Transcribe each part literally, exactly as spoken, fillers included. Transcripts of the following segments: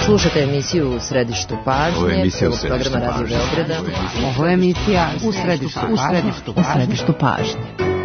Slušate emisiju U središtu pažnje, Ovo je emisija U središtu programa Radio Beograda. Ovo je emisija U središtu pažnje. U središtu pažnje.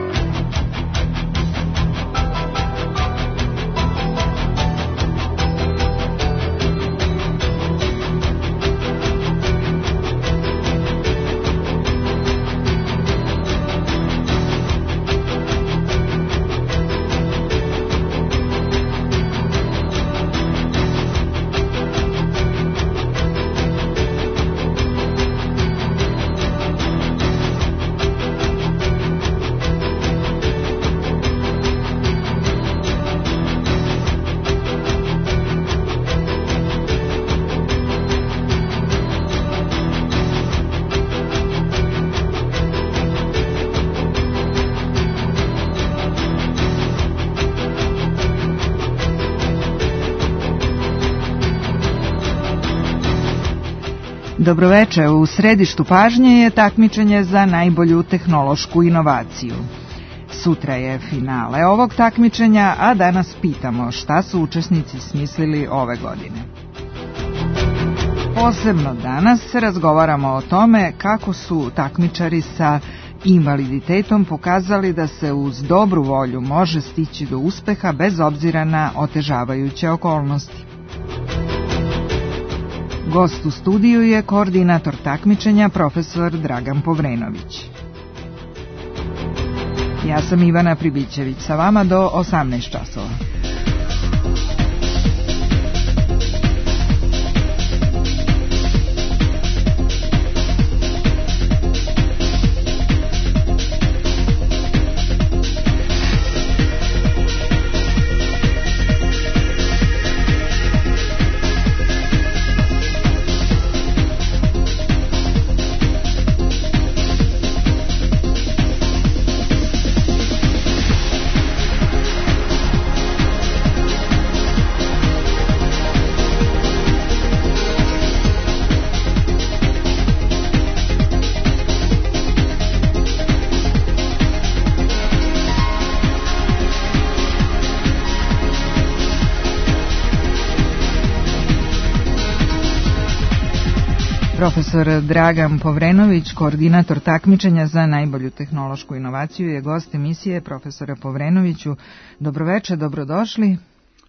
Dobroveče, u središtu pažnje je takmičenje za najbolju tehnološku inovaciju. Sutra je finale ovog takmičenja, a danas pitamo šta su učesnici smislili ove godine. Posebno danas razgovaramo o tome kako su takmičari sa invaliditetom pokazali da se uz dobru volju može stići do uspeha bez obzira na otežavajuće okolnosti. Gost u studiju je koordinator takmičenja profesor Dragan Povrenović. Ja sam Ivana Pribićević, sa vama do osamnaest časova. Profesor Dragan Povrenović, koordinator takmičenja za najbolju tehnološku inovaciju, je gost emisije. Profesore Povrenoviću, dobroveče, dobrodošli.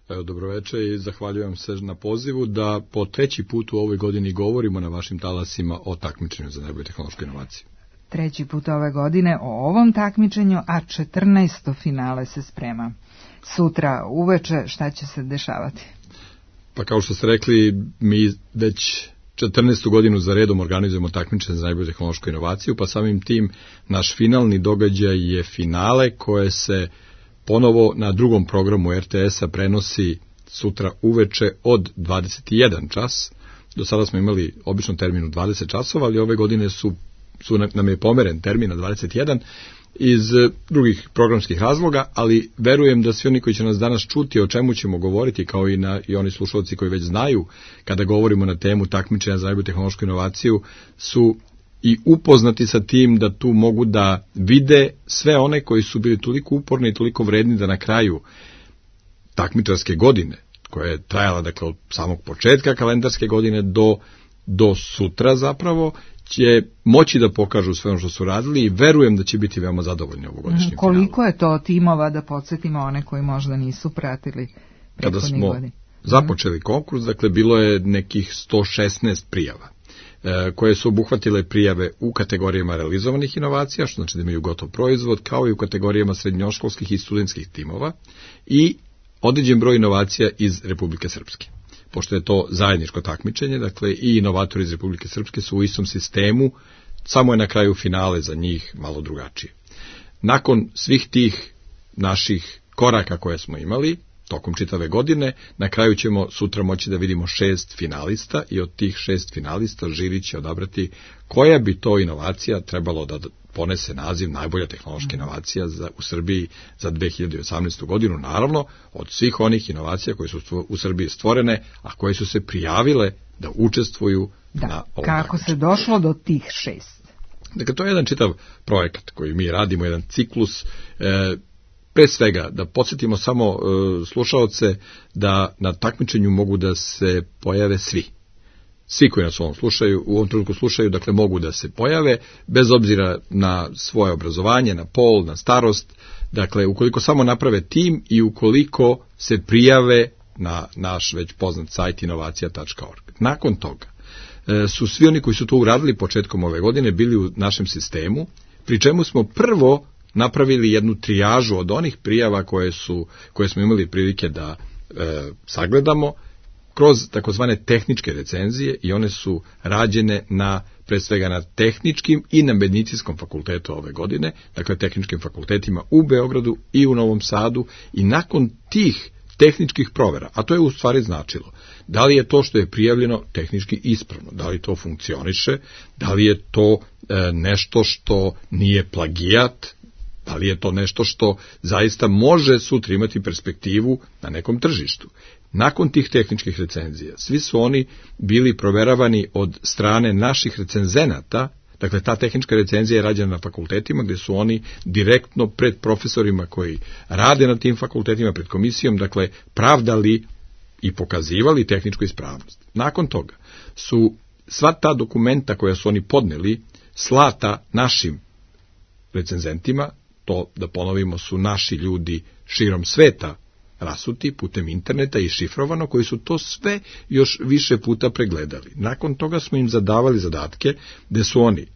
Evo, dobroveče i zahvaljujem se na pozivu da po treći put u ovoj godini govorimo na vašim talasima o takmičenju za najbolju tehnološku inovaciju. Treći put ove godine o ovom takmičenju, a četrnaesto finale se sprema. Sutra uveče šta će se dešavati? Pa kao što ste rekli, mi već četrnaestu godinu za redom organizujemo takmičenje za najbolju tehnološku inovaciju, pa samim tim naš finalni događaj je finale koje se ponovo na drugom programu er te es-a prenosi sutra uveče od dvadeset jedan čas. Do sada smo imali obično termin u dvadeset časova, ali ove godine su, su nam je pomeren termin na dvadeset jedan iz drugih programskih razloga, ali verujem da svi oni koji će nas danas čuti o čemu ćemo govoriti, kao i, na, i oni slušalci koji već znaju kada govorimo na temu takmičenja za najbolju tehnološku inovaciju, su i upoznati sa tim da tu mogu da vide sve one koji su bili toliko uporni i toliko vredni da na kraju takmičarske godine, koja je trajala dakle od samog početka kalendarske godine do, do sutra zapravo, će moći da pokažu sve ono što su radili i verujem da će biti veoma zadovoljni ovogodišnjim finalom. Koliko je to timova, da podsjetimo one koji možda nisu pratili prethodnih godina? Kada smo započeli konkurs, dakle bilo je nekih sto šesnaest prijava, e, koje su obuhvatile prijave u kategorijama realizovanih inovacija, što znači da imaju gotov proizvod, kao i u kategorijama srednjoškolskih i studentskih timova i određen broj inovacija iz Republike Srpske. Pošto je to zajedničko takmičenje, dakle i inovatori iz Republike Srpske su u istom sistemu, samo je na kraju finale za njih malo drugačije. Nakon svih tih naših koraka koje smo imali tokom čitave godine, na kraju ćemo sutra moći da vidimo šest finalista i od tih šest finalista žiri će odabrati koja bi to inovacija trebalo da ponese naziv najbolja tehnološka inovacija za, u Srbiji za dve hiljade osamnaestu godinu, naravno od svih onih inovacija koje su u Srbiji stvorene, a koje su se prijavile da učestvuju da, na ovom kako takmičenju. Se došlo do tih šest? Dakle, to je jedan čitav projekat koji mi radimo, jedan ciklus. E, Pre svega, da podsjetimo samo e, slušaoce da na takmičenju mogu da se pojave svi. Svi koji nas u ovom, slušaju, u ovom trenutku slušaju, dakle, mogu da se pojave, bez obzira na svoje obrazovanje, na pol, na starost. Dakle, ukoliko samo naprave tim i ukoliko se prijave na naš već poznat sajt inovacija tačka org. Nakon toga e, su svi oni koji su to uradili početkom ove godine bili u našem sistemu, pri čemu smo prvo napravili jednu trijažu od onih prijava koje su koje smo imali prilike da e, sagledamo kroz takozvane tehničke recenzije, i one su rađene na, pre svega, na tehničkim i na medicinskom fakultetu ove godine, dakle tehničkim fakultetima u Beogradu i u Novom Sadu, i nakon tih tehničkih provera, a to je u stvari značilo da li je to što je prijavljeno tehnički ispravno, da li to funkcioniše, da li je to e, nešto što nije plagijat, da li je to nešto što zaista može sutra imati perspektivu na nekom tržištu. Nakon tih tehničkih recenzija, svi su oni bili proveravani od strane naših recenzenata. Dakle, ta tehnička recenzija je rađena na fakultetima, gde su oni direktno pred profesorima koji rade na tim fakultetima, pred komisijom, dakle, pravdali i pokazivali tehničku ispravnost. Nakon toga su sva ta dokumenta koja su oni podneli slata našim recenzentima, to, da ponovimo, su naši ljudi širom sveta rasuti putem interneta i šifrovano, koji su to sve još više puta pregledali. Nakon toga smo im zadavali zadatke gde su oni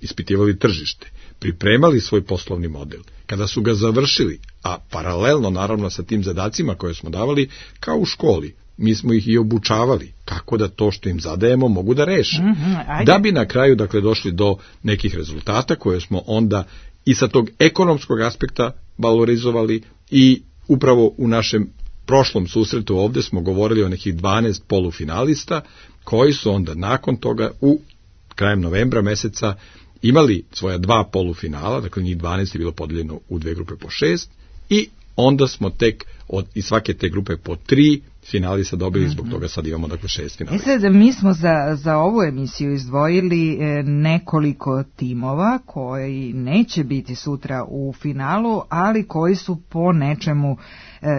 ispitivali tržište, pripremali svoj poslovni model. Kada su ga završili, a paralelno naravno sa tim zadacima koje smo davali, kao u školi, mi smo ih i obučavali kako da to što im zadajemo mogu da reše. Mm-hmm, da bi na kraju, dakle, došli do nekih rezultata koje smo onda i sa tog ekonomskog aspekta valorizovali, i upravo u našem prošlom susretu ovde smo govorili o nekih dvanaest polufinalista koji su onda nakon toga u krajem novembra meseca imali svoja dva polufinala, dakle njih dvanaest je bilo podeljeno u dve grupe po šest, i onda smo tek od iz svake te grupe po tri finalista dobili, zbog toga sad imamo, dakle, šest finalista. I sad mi smo za, za ovu emisiju izdvojili nekoliko timova koji neće biti sutra u finalu, ali koji su po nečemu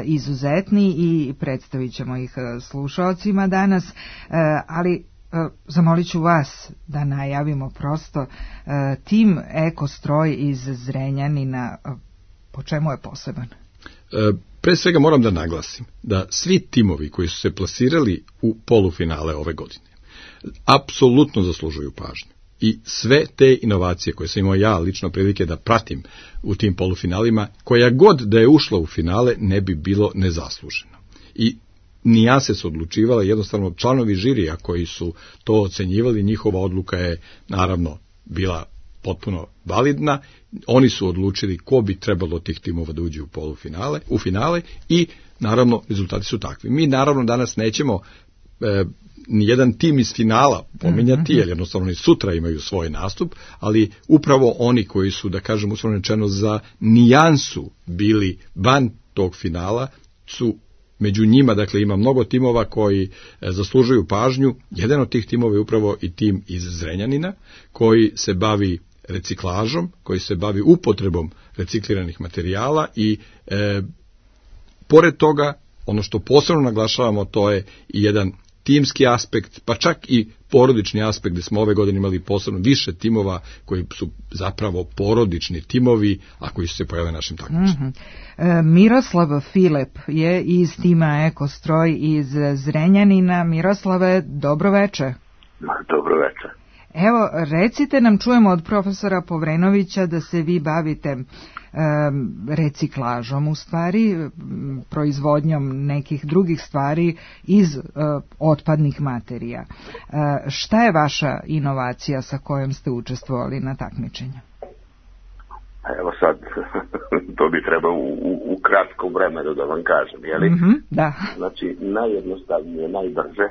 izuzetni i predstavit ćemo ih slušaocima danas, ali zamolit ću vas da najavimo prosto tim Ekostroj iz Zrenjanina. Po čemu je poseban? E, pre svega moram da naglasim da svi timovi koji su se plasirali u polufinale ove godine apsolutno zaslužuju pažnju. I sve te inovacije koje sam imao ja lično prilike da pratim u tim polufinalima, koja god da je ušla u finale, ne bi bilo nezasluženo. I nijanse su odlučivala, jednostavno članovi žirija koji su to ocenjivali, njihova odluka je naravno bila potpuno validna. Oni su odlučili ko bi trebalo od tih timova da uđe u polufinale, u finale, i naravno rezultati su takvi. Mi naravno danas nećemo e, nijedan tim iz finala pominjati, jer jednostavno i sutra imaju svoj nastup, ali upravo oni koji su, da kažem, uslovno rečeno, za nijansu bili van tog finala su među njima. Dakle, ima mnogo timova koji e, zaslužuju pažnju. Jedan od tih timova je upravo i tim iz Zrenjanina, koji se bavi reciklažom, koji se bavi upotrebom recikliranih materijala, i e, pored toga, ono što posebno naglašavamo, to je i jedan timski aspekt, pa čak i porodični aspekt, gde smo ove godine imali posebno više timova koji su zapravo porodični timovi, a koji su se pojavili na našim takmičenjima. Mm-hmm. e, Miroslav Filip je iz tima Ekostroj iz Zrenjanina. Miroslave, dobro veče. Dobro veče. Evo, recite nam, čujemo od profesora Povrenovića da se vi bavite e, reciklažom, u stvari, proizvodnjom nekih drugih stvari iz e, otpadnih materija. E, šta je vaša inovacija sa kojom ste učestvovali na takmičenju? Evo sad, to bi trebalo u, u, u kratkom vremenu da vam kažem, jeli? Mm-hmm, da. Znači, najjednostavnije, najbrže,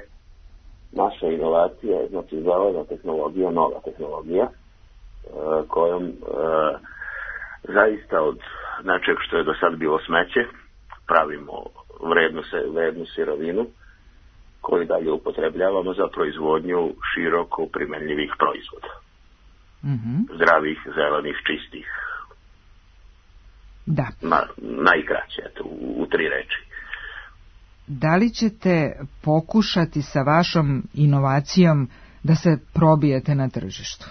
naša inovacija je, znači, zelena tehnologija, nova tehnologija, e, kojom e, zaista od nečeg što je do sad bilo smeće, pravimo vrednu, se, vrednu sirovinu koju dalje upotrebljavamo za proizvodnju široko primenljivih proizvoda. Mm-hmm. Zdravih, zelenih, čistih. Da. Na, najkraće, eto, u, u tri reči. Da li ćete pokušati sa vašom inovacijom da se probijete na tržištu?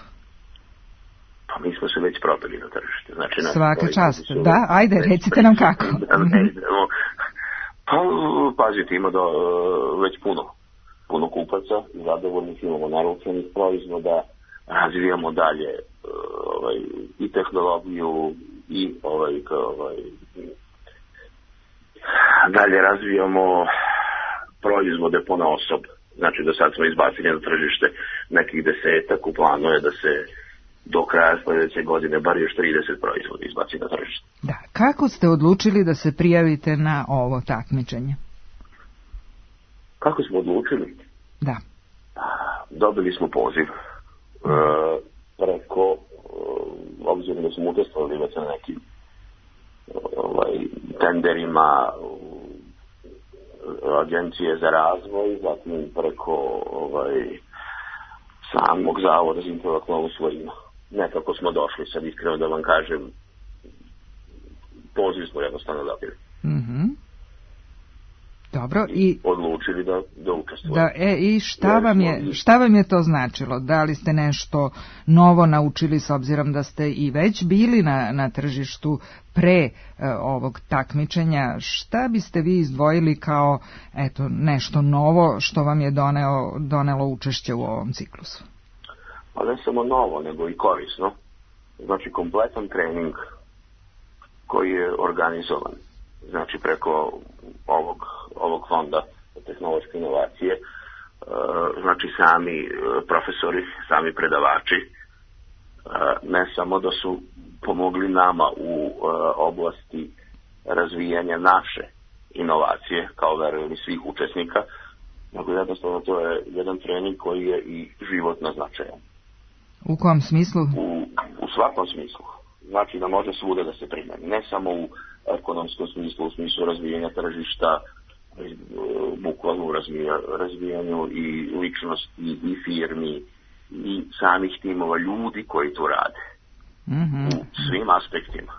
Pa mi smo se već probili na tržište. Znači, svaka čast. Da, ajde, recite nam kako. Da ne idemo. Pa, pazite, ima do, već puno, puno kupaca, zadovoljnih, imamo naručenih proizvoda, razvijamo dalje ovaj, i tehnologiju i ovaj, ovaj, dalje razvijamo proizvode po na osob. Znači, do sad smo izbacili na tržište nekih desetak, u planu je da se do kraja sljedeće godine bar još trideset proizvoda izbaci na tržište. Da, kako ste odlučili da se prijavite na ovo takmičenje? Kako smo odlučili? Da. Dobili smo poziv e, preko, e, obzirom da smo učestvovali već na nekim ovaj, tenderima Agencije za razvoj, zatim preko ovaj, samog Zavoda za intelektualnu svojinu. Nekako smo došli, sad iskreno da vam kažem, poziv smo jednostavno dobili. Mhm. Dobro, i, i odlučili da, da učestvujemo. Da, e, i šta vam, je, šta vam je to značilo? Da li ste nešto novo naučili s obzirom da ste i već bili na, na tržištu pre e, ovog takmičenja? Šta biste vi izdvojili kao eto, nešto novo što vam je doneo, donelo učešće u ovom ciklusu? Pa ne samo novo, nego i korisno. Znači, kompletan trening koji je organizovan, znači preko ovog, ovog fonda tehnološke inovacije, znači sami profesori, sami predavači, ne samo da su pomogli nama u oblasti razvijanja naše inovacije, kao verujem i svih učesnika, nego jednostavno to je jedan trening koji je i životno značajan. U kom smislu? U, u svakom smislu. Znači da može svuda da se primeni. Ne samo u ekonomskom smislu, u smislu razvijanja tržišta, bukvalno u razvijanju i ličnosti i firmi i samih timova ljudi koji tu rade. Mm-hmm. U svim aspektima.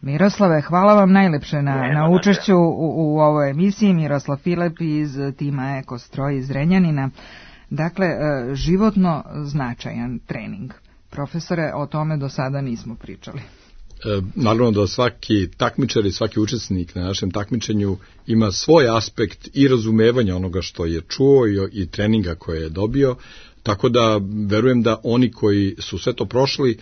Miroslave, hvala vam najlepše na, ne, na učešću u, u ovoj emisiji. Miroslav Filip iz tima Ekostroj iz Renjanina. Dakle, životno značajan trening. Profesore, o tome do sada nismo pričali. E, naravno da svaki takmičar i svaki učesnik na našem takmičenju ima svoj aspekt i razumevanja onoga što je čuo i, i treninga koje je dobio, tako da verujem da oni koji su sve to prošli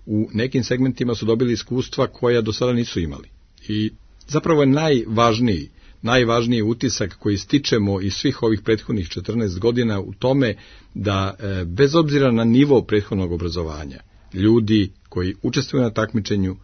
u nekim segmentima su dobili iskustva koja do sada nisu imali. I zapravo je najvažniji najvažniji utisak koji stičemo iz svih ovih prethodnih četrnaest godina u tome da e, bez obzira na nivo prethodnog obrazovanja, ljudi koji učestvuju na takmičenju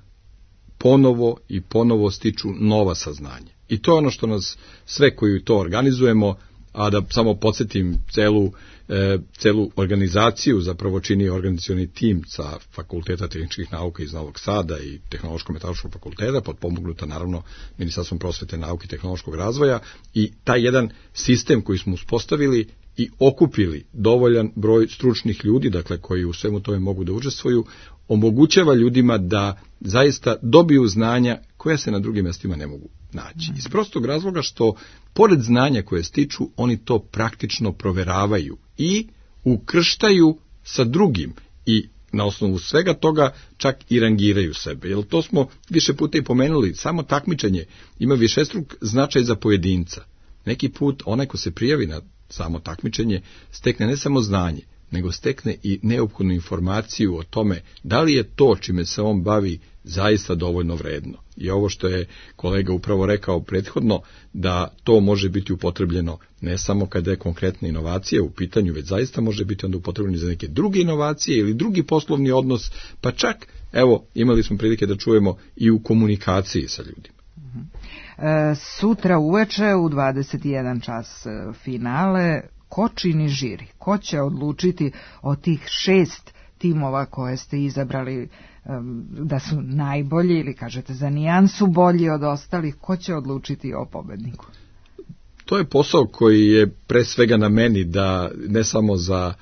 ponovo i ponovo stiču nova saznanja. I to je ono što nas sve koji to organizujemo, a da samo podsjetim celu, e, celu organizaciju zapravo čini organizacioni tim sa Fakulteta tehničkih nauka iz Novog Sada i Tehnološko-metaloškog fakulteta, potpomognuta naravno Ministarstvom prosvete, nauke i tehnološkog razvoja, i taj jedan sistem koji smo uspostavili i okupili dovoljan broj stručnih ljudi, dakle koji u svemu tome mogu da učestvuju, omogućava ljudima da zaista dobiju znanja koja se na drugim mjestima ne mogu naći. Iz prostog razloga što, pored znanja koje stiču, oni to praktično proveravaju i ukrštaju sa drugim i na osnovu svega toga čak i rangiraju sebe. Jer to smo više puta i pomenuli, samo takmičenje ima višestruk značaj za pojedinca. Neki put onaj ko se prijavi na samo takmičenje stekne ne samo znanje, nego stekne i neophodnu informaciju o tome da li je to čime se on bavi zaista dovoljno vredno. I ovo što je kolega upravo rekao prethodno, da to može biti upotrebljeno ne samo kada je konkretna inovacija u pitanju, već zaista može biti onda upotrebljeno za neke druge inovacije ili drugi poslovni odnos, pa čak, evo, imali smo prilike da čujemo i u komunikaciji sa ljudima. E, sutra uveče u dvadeset i jedan čas finale. Ko čini žiri? Ko će odlučiti od tih šest timova koje ste izabrali um, da su najbolji ili kažete za nijansu bolji od ostalih? Ko će odlučiti o pobedniku? To je posao koji je pre svega na meni, da ne samo za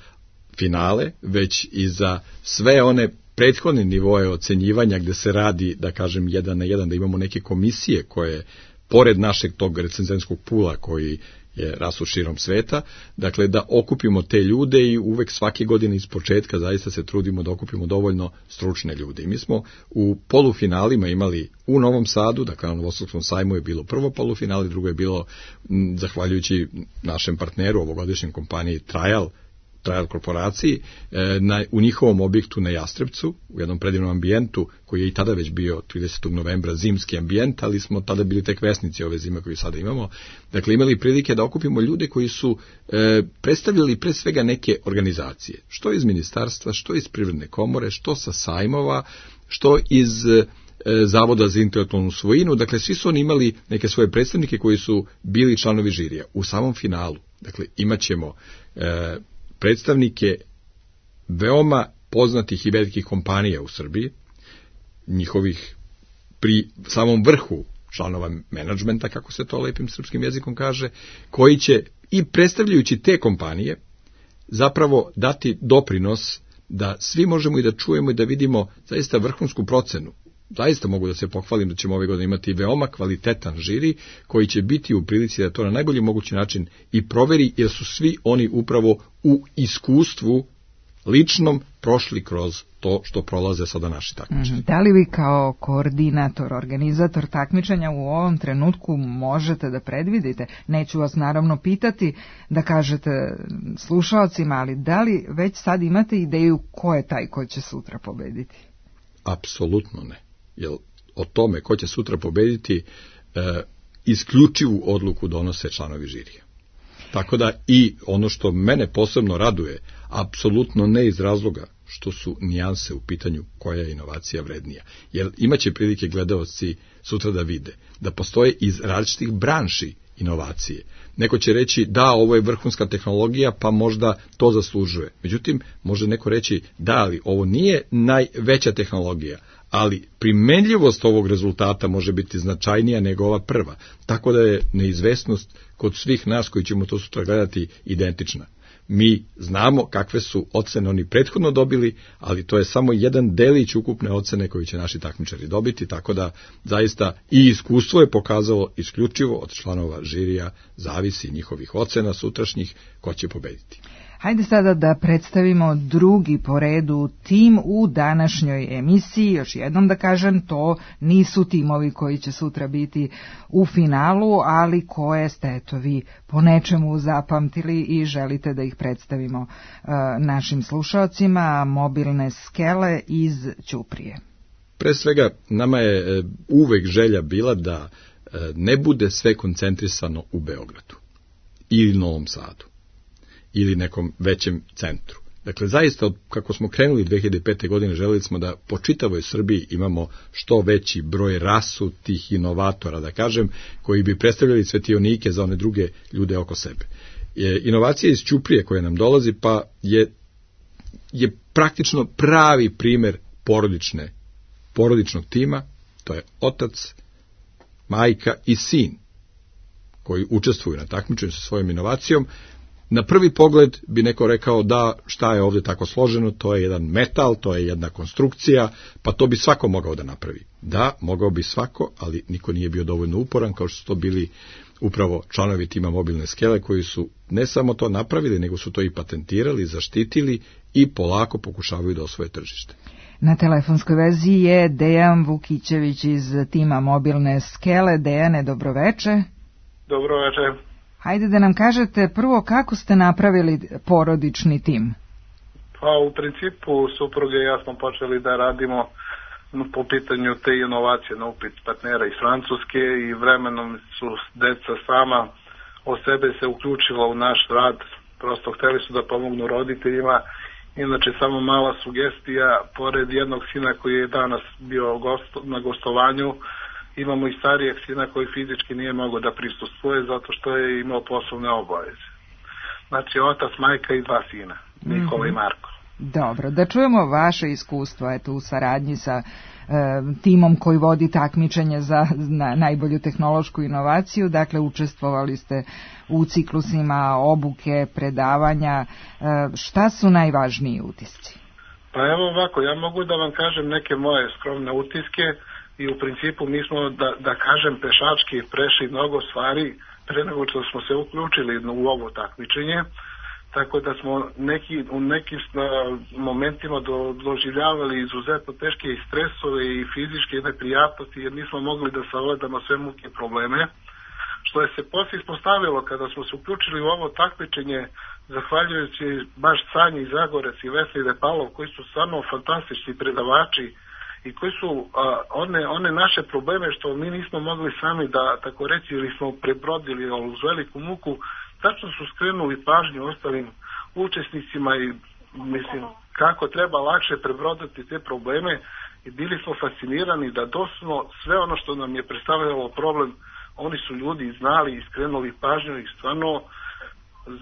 finale, već i za sve one prethodne nivoe ocenjivanja gde se radi, da kažem, jedan na jedan, da imamo neke komisije koje, pored našeg tog recenzentskog pula koji je rasu širom sveta, dakle da okupimo te ljude i uvek svake godine iz početka zaista se trudimo da okupimo dovoljno stručne ljude. I mi smo u polufinalima imali u Novom Sadu, dakle na Novosadskom sajmu je bilo prvo polufinale, drugo je bilo m, zahvaljujući našem partneru, ovogodišnjem kompaniji Trial, Trial korporaciji, e, na, u njihovom objektu na Jastrebcu, u jednom predivnom ambijentu, koji je i tada već bio tridesetog novembra zimski ambijent, ali smo tada bili tek vesnici ove zime koju sada imamo. Dakle, imali prilike da okupimo ljude koji su e, predstavljali pre svega neke organizacije, što iz ministarstva, što iz Privredne komore, što sa sajmova, što iz e, Zavoda za intelektualnu svojinu, dakle, svi su oni imali neke svoje predstavnike koji su bili članovi žirija. U samom finalu, dakle, imat ćemo e, predstavnike veoma poznatih i velikih kompanija u Srbiji, njihovih pri samom vrhu članova menadžmenta, kako se to lepim srpskim jezikom kaže, koji će i predstavljajući te kompanije zapravo dati doprinos da svi možemo i da čujemo i da vidimo zaista vrhunsku procenu. Zaista mogu da se pohvalim da ćemo ove godine imati veoma kvalitetan žiri koji će biti u prilici da to na najbolji mogući način i proveri, jer su svi oni upravo u iskustvu ličnom prošli kroz to što prolaze sada naši takmičari. Da li vi kao koordinator, organizator takmičenja u ovom trenutku možete da predvidite? Neću vas naravno pitati da kažete slušalcima, ali da li već sad imate ideju ko je taj ko će sutra pobediti? Apsolutno ne. Jer o tome ko će sutra pobediti e, isključivu odluku donose članovi žirija. Tako da i ono što mene posebno raduje, apsolutno ne iz razloga što su nijanse u pitanju koja je inovacija vrednija. Jer imaće prilike gledaoci sutra da vide da postoje iz različitih branši inovacije. Neko će reći da, ovo je vrhunska tehnologija, pa možda to zaslužuje. Međutim, može neko reći da, ali ovo nije najveća tehnologija, ali primenljivost ovog rezultata može biti značajnija nego ova prva. Tako da je neizvesnost kod svih nas koji ćemo to sutra gledati identična. Mi znamo kakve su ocene oni prethodno dobili, ali to je samo jedan delić ukupne ocene koju će naši takmičari dobiti, tako da zaista i iskustvo je pokazalo isključivo od članova žirija zavisi njihovih ocena sutrašnjih ko će pobediti. Hajde sada da predstavimo drugi po redu tim u današnjoj emisiji. Još jednom da kažem, to nisu timovi koji će sutra biti u finalu, ali koje ste eto vi po nečemu zapamtili i želite da ih predstavimo uh, našim slušalcima. Mobilne skele iz Ćuprije. Pre svega, nama je uvek želja bila da ne bude sve koncentrisano u Beogradu ili Novom Sadu ili nekom većem centru. Dakle, zaista, od kako smo krenuli dve hiljade pete. godine, želeli smo da po čitavoj Srbiji imamo što veći broj rasutih inovatora, da kažem, koji bi predstavljali svetionike za one druge ljude oko sebe. Je, inovacija iz Ćuprije koja nam dolazi, pa je, je praktično pravi primer porodične, porodičnog tima, to je otac, majka i sin, koji učestvuju na takmičenju sa svojom inovacijom. Na prvi pogled bi neko rekao da šta je ovdje tako složeno, to je jedan metal, to je jedna konstrukcija, pa to bi svako mogao da napravi. Da, mogao bi svako, ali niko nije bio dovoljno uporan, kao što su to bili upravo članovi tima Mobilne skele, koji su ne samo to napravili, nego su to i patentirali, zaštitili i polako pokušavaju da osvoje tržište. Na telefonskoj vezi je Dejan Vukićević iz tima Mobilne skele. Dejane, dobroveče. Dobroveče. Hajde da nam kažete prvo kako ste napravili porodični tim. Pa u principu supruge i ja smo počeli da radimo po pitanju te inovacije na upit partnera iz Francuske i vremenom su deca sama o sebe se uključila u naš rad. Prosto hteli su da pomognu roditeljima. Inače, samo mala sugestija, pored jednog sina koji je danas bio gost, na gostovanju, imamo i starijeg sina koji fizički nije mogao da prisustvuje zato što je imao poslovne obaveze. Znači, otac, majka i dva sina, Nikola mm-hmm. i Marko. Dobro, da čujemo vaše iskustvo eto, u saradnji sa e, timom koji vodi takmičenje za na, najbolju tehnološku inovaciju. Dakle, učestvovali ste u ciklusima obuke, predavanja. E, šta su najvažniji utisci? Pa evo ovako, ja mogu da vam kažem neke moje skromne utiske i u principu mi smo, da, da kažem, pešački prešli mnogo stvari pre nego što smo se uključili u ovo takmičenje, tako da smo neki, u nekim momentima do, doživljavali izuzetno teške i stresove i fizičke neprijatnosti jer nismo mogli da savladamo sve muke i probleme. Što je se poslije ispostavilo kada smo se uključili u ovo takmičenje, zahvaljujući baš Sanji Zagorec i Vesli Depalov, koji su stvarno fantastični predavači i koji su a, one, one naše probleme što mi nismo mogli sami da, tako reći, ili smo prebrodili uz veliku muku, tačno su skrenuli pažnju ostalim učesnicima i mislim kako treba lakše prebroditi te probleme i bili smo fascinirani da doslovno sve ono što nam je predstavljalo problem, oni su ljudi znali i skrenuli pažnju i stvarno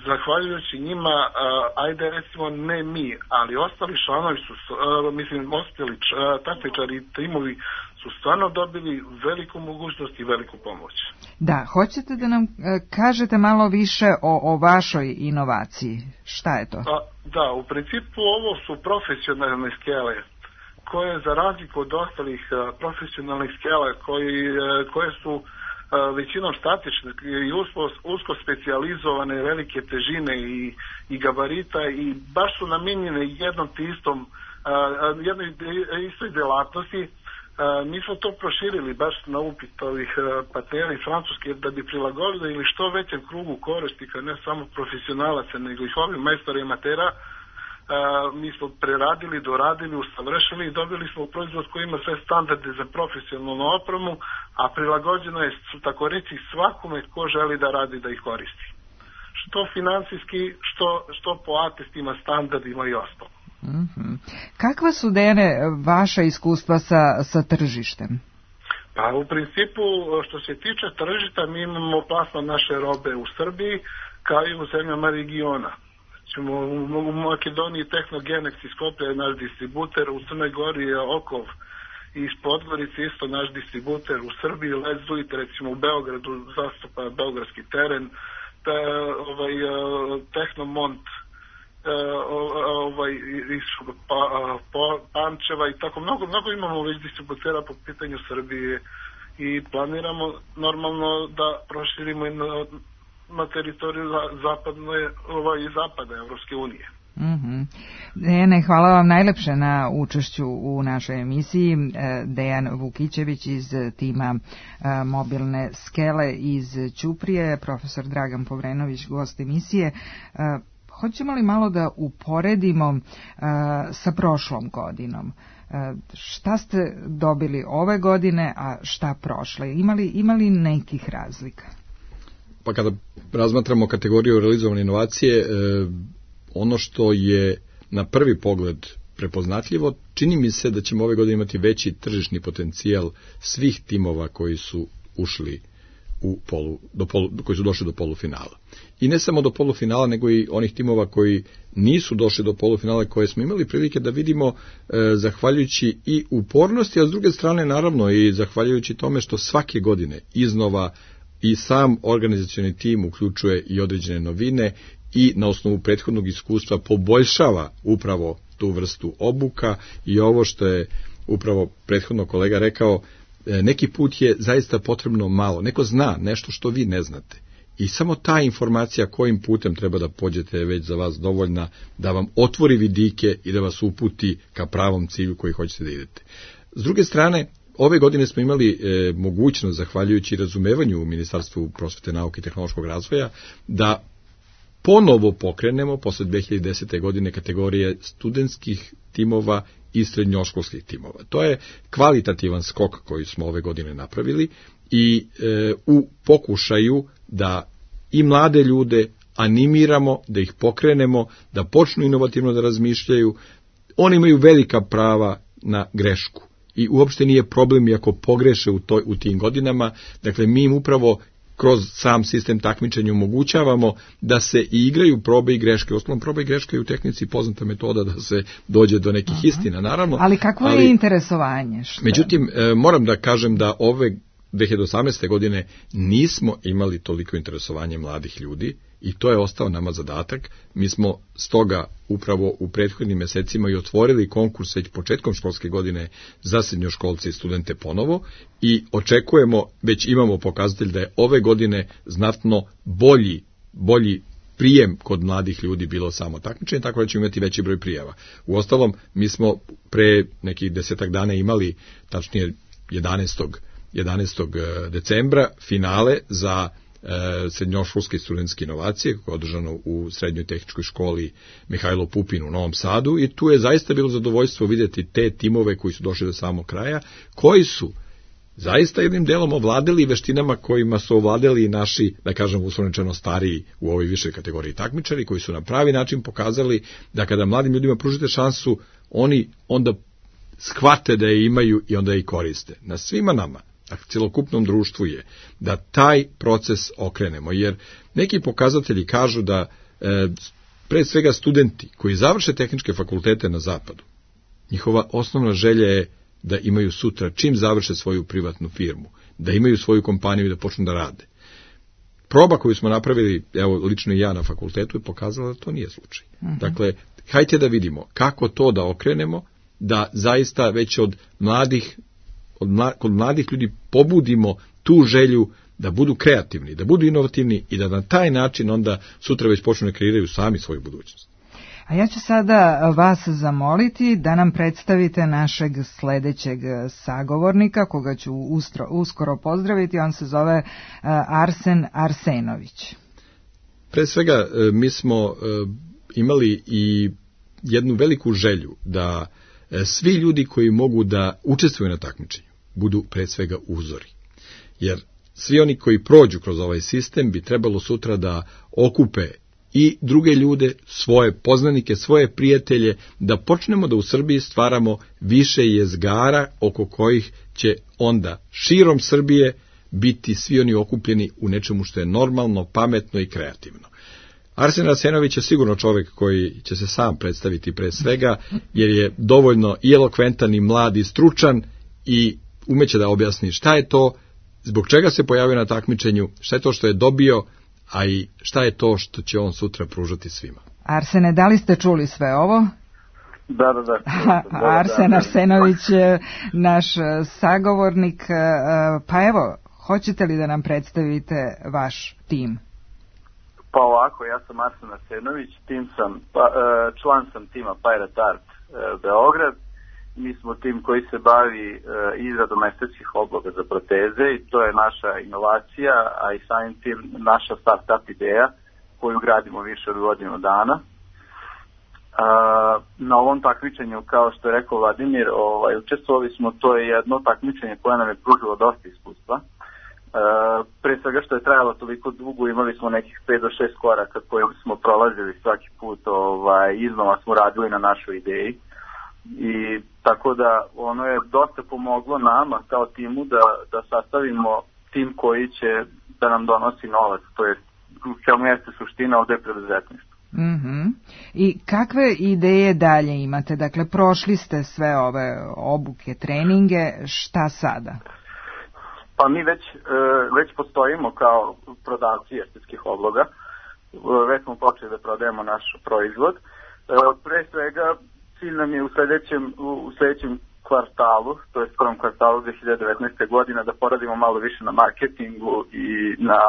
zahvaljujući njima, a, ajde recimo ne mi, ali ostali članovi su, a, mislim ostali takmičari i timovi su stvarno dobili veliku mogućnost i veliku pomoć. Da, hoćete da nam e, kažete malo više o, o vašoj inovaciji? Šta je to? A, da, u principu ovo su profesionalne skele koje za razliku od ostalih a, profesionalnih skela koji, a, koje su većinom statične i usko, usko specijalizovane, velike težine i, i gabarita i baš su namijenjene jednom te istom, uh, jednoj istoj delatnosti. Uh, mi smo to proširili baš na upit ovih uh, partnera iz Francuske da bi prilagodili ili što većem krugu korisnika, ne samo profesionalaca, nego i ovih majstora i amatera. Uh, mi smo preradili, doradili, usavršili i dobili smo proizvod koji ima sve standarde za profesionalnu opremu, a prilagođeno je, tako reći, svakome ko želi da radi da ih koristi. Što finansijski, što, što po atestima, standardima i ostalo. Mm-hmm. Kakva su, Dejane, vaša iskustva sa, sa tržištem? Pa u principu, što se tiče tržišta, mi imamo plasman naše robe u Srbiji, kao i u zemljama regiona. U Makedoniji Tehnogenex iz Skoplja je naš distributer, u Crnoj Gori je Okov i iz Podgorice isto naš distributer, u Srbiji Let's Do It, recimo u Beogradu zastupa beogradski teren, te, ovaj, Tehnomont ovaj, iz pa, pa, Pančeva i tako mnogo, mnogo imamo već distributera po pitanju Srbije i planiramo normalno da proširimo i na na teritoriju zapadne, ovaj, zapada Evropske unije. Mm-hmm. Dejane, hvala vam najlepše na učešću u našoj emisiji. Dejan Vukićević iz tima mobilne skele iz Ćuprije, profesor Dragan Povrenović, gost emisije. Hoćemo li malo da uporedimo sa prošlom godinom? Šta ste dobili ove godine, a šta prošle? Imali, imali nekih razlika? Pa kada razmatramo kategoriju realizovane inovacije, e, ono što je na prvi pogled prepoznatljivo, čini mi se da ćemo ove godine imati veći tržišni potencijal svih timova koji su ušli u polu, do polu, koji su došli do polufinala. I ne samo do polufinala, nego i onih timova koji nisu došli do polufinala, koje smo imali prilike da vidimo e, zahvaljujući i upornosti, a s druge strane naravno i zahvaljujući tome što svake godine iznova i sam organizacioni tim uključuje i određene novine i na osnovu prethodnog iskustva poboljšava upravo tu vrstu obuka i ovo što je upravo prethodno kolega rekao, neki put je zaista potrebno malo. Neko zna nešto što vi ne znate i samo ta informacija kojim putem treba da pođete je već za vas dovoljna da vam otvori vidike i da vas uputi ka pravom cilju koji hoćete da idete. S druge strane, ove godine smo imali e, mogućnost, zahvaljujući razumevanju u Ministarstvu prosvete, nauke i tehnološkog razvoja, da ponovo pokrenemo posle dve hiljade desete. godine kategorije studentskih timova i srednjoškolskih timova. To je kvalitativan skok koji smo ove godine napravili i e, u pokušaju da i mlade ljude animiramo, da ih pokrenemo, da počnu inovativno da razmišljaju. Oni imaju velika prava na grešku. I uopšte nije problem i ako pogreše u, toj, u tim godinama. Dakle, mi im upravo kroz sam sistem takmičenja omogućavamo da se i igraju probe i greške. Osnovno, probe i greške je u tehnici poznata metoda da se dođe do nekih Aha. istina, naravno. Ali kakvo je ali, interesovanje? Što? Međutim, e, moram da kažem da ove dve hiljade osamnaeste. godine nismo imali toliko interesovanje mladih ljudi i to je ostao nama zadatak. Mi smo stoga upravo u prethodnim mesecima i otvorili konkurs već početkom školske godine za srednjoškolce i studente ponovo i očekujemo, već imamo pokazatelj da je ove godine znatno bolji, bolji prijem kod mladih ljudi bilo samo takmičenje, tako da ćemo imati veći broj prijava. Uostalom, mi smo pre nekih desetak dana imali, tačnije jedanaestog decembra, finale za e, srednjoškolske i studentske inovacije, koje je održano u Srednjoj tehničkoj školi Mihajlo Pupin u Novom Sadu i tu je zaista bilo zadovoljstvo vidjeti te timove koji su došli do samog kraja, koji su zaista jednim delom ovladali veštinama kojima su ovladali i naši, da kažem, uslovničeno stariji u ovoj višoj kategoriji takmičari, koji su na pravi način pokazali da kada mladim ljudima pružite šansu, oni onda shvate da je imaju i onda je i koriste. Na svima nama, a celokupnom društvu je da taj proces okrenemo, jer neki pokazatelji kažu da e, pre svega studenti koji završe tehničke fakultete na zapadu, njihova osnovna želja je da imaju sutra, čim završe svoju privatnu firmu, da imaju svoju kompaniju i da počnu da rade. Proba koju smo napravili, evo, lično i ja na fakultetu, je pokazala da to nije slučaj. Uh-huh. Dakle, hajde da vidimo kako to da okrenemo, da zaista već od mladih, od mla, kod mladih ljudi pobudimo tu želju da budu kreativni, da budu inovativni i da na taj način onda sutra već počnu da kreiraju sami svoju budućnost. A ja ću sada vas zamoliti da nam predstavite našeg sledećeg sagovornika, koga ću ustro, uskoro pozdraviti. On se zove Arsen Arsenović. Pre svega, mi smo imali i jednu veliku želju da svi ljudi koji mogu da učestvuju na takmičenju budu pre svega uzori. Jer svi oni koji prođu kroz ovaj sistem bi trebalo sutra da okupe i druge ljude, svoje poznanike, svoje prijatelje, da počnemo da u Srbiji stvaramo više jezgara oko kojih će onda širom Srbije biti svi oni okupljeni u nečemu što je normalno, pametno i kreativno. Arsen Arsenović je sigurno čovjek koji će se sam predstaviti pre svega, jer je dovoljno i elokventan i mlad i stručan i umeće da objasni šta je to, zbog čega se pojavio na takmičenju, šta je to što je dobio, a i šta je to što će on sutra pružati svima. Arsene, da li ste čuli sve ovo? Da, da, da. Arsen Arsenović je naš sagovornik, pa evo, hoćete li da nam predstavite vaš tim? Pa ovako, ja sam Arsen Arsenović, tim sam, pa, član sam tima Pirate Art Beograd. Mi smo tim koji se bavi izradom estetskih obloga za proteze i to je naša inovacija, a i samim tim naša start-up ideja koju gradimo više od godinu dana. Na ovom takmičenju, kao što je rekao Vladimir, ovaj, učestvovali smo, to je jedno takmičenje koje nam je pružilo dosta iskustva. Pre svega što je trajalo toliko dugo, imali smo nekih pet do šest koraka koje smo prolazili svaki put, ovaj, iznova smo radili na našoj ideji. I tako da ono je dosta pomoglo nama kao timu da, da sastavimo tim koji će da nam donosi novac, to je kao mjeste suština ovde preduzetništva. Mm-hmm. I kakve ideje dalje imate? Dakle, prošli ste sve ove obuke, treninge, šta sada? Pa mi već, već postojimo kao prodavci estetskih obloga, već smo počeli da prodajemo naš proizvod. Pre svega cilj nam je u sljedećem, u sljedećem kvartalu, to je prvom kvartalu dve hiljade devetnaeste. godine, da poradimo malo više na marketingu i na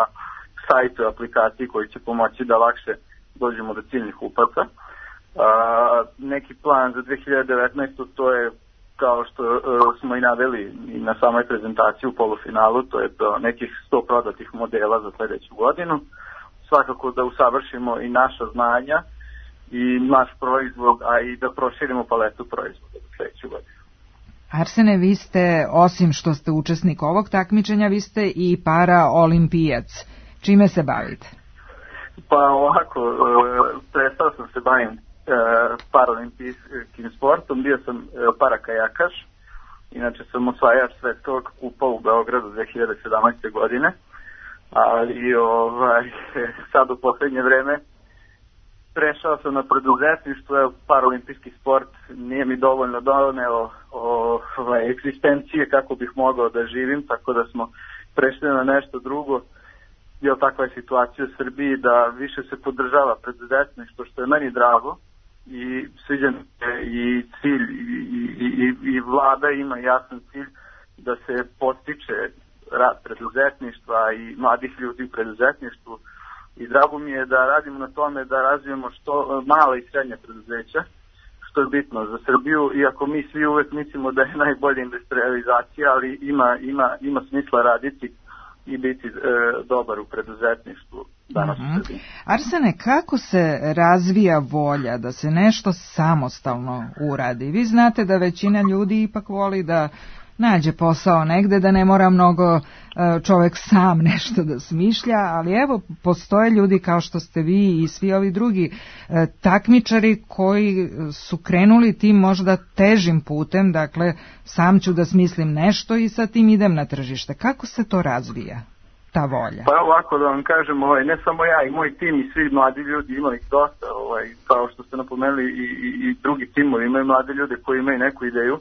sajtu, aplikaciji koji će pomoći da lakše dođemo do ciljnih kupaca. Neki plan za dve hiljade devetnaestu. to je, kao što uh, smo i naveli i na samoj prezentaciji u polufinalu, to je do nekih sto prodatih modela za sljedeću godinu. Svakako da usavršimo i naša znanja i naš proizvod, a i da proširimo paletu proizvoda za sljedeću godinu. Arsene, vi ste, osim što ste učesnik ovog takmičenja, vi ste i paraolimpijac. Čime se bavite? Pa ovako, prestao sam se bavim paraolimpijskim sportom, bio sam parakajakaš, inače sam osvajač svetskog kupa u Beogradu dve hiljade sedamnaeste. godine, ali ovaj, sad u poslednje vreme prešao sam na preduzetništvo, evo, paraolimpijski sport nije mi dovoljno doneo ovaj, egzistencije kako bih mogao da živim, tako da smo prešli na nešto drugo. Jel, takva je situacija u Srbiji da više se podržava preduzetništvo, što je meni drago, i sviđa mi se i cilj i, i, i, i vlada ima jasan cilj da se postiče rad preduzetništva i mladih ljudi u preduzetništvu, i drago mi je da radimo na tome da razvijemo što mala i srednja preduzeća, što je bitno za Srbiju, iako mi svi uvek mislimo da je najbolja industrializacija, ali ima, ima, ima smisla raditi i biti e, dobar u preduzetništvu danas mm-hmm. u Srbiji. Arsene, kako se razvija volja da se nešto samostalno uradi? Vi znate da većina ljudi ipak voli da nađe posao negde, da ne mora mnogo čovek sam nešto da smišlja, ali evo, postoje ljudi kao što ste vi i svi ovi drugi takmičari koji su krenuli tim možda težim putem, dakle, sam ću da smislim nešto i sa tim idem na tržište. Kako se to razvija, ta volja? Pa ovako da vam kažem, ovaj, ne samo ja i moj tim i svi mladi ljudi, ima ih dosta, ovaj, kao što ste napomenuli, i, i, i drugi timovi imaju mlade ljude koji imaju neku ideju.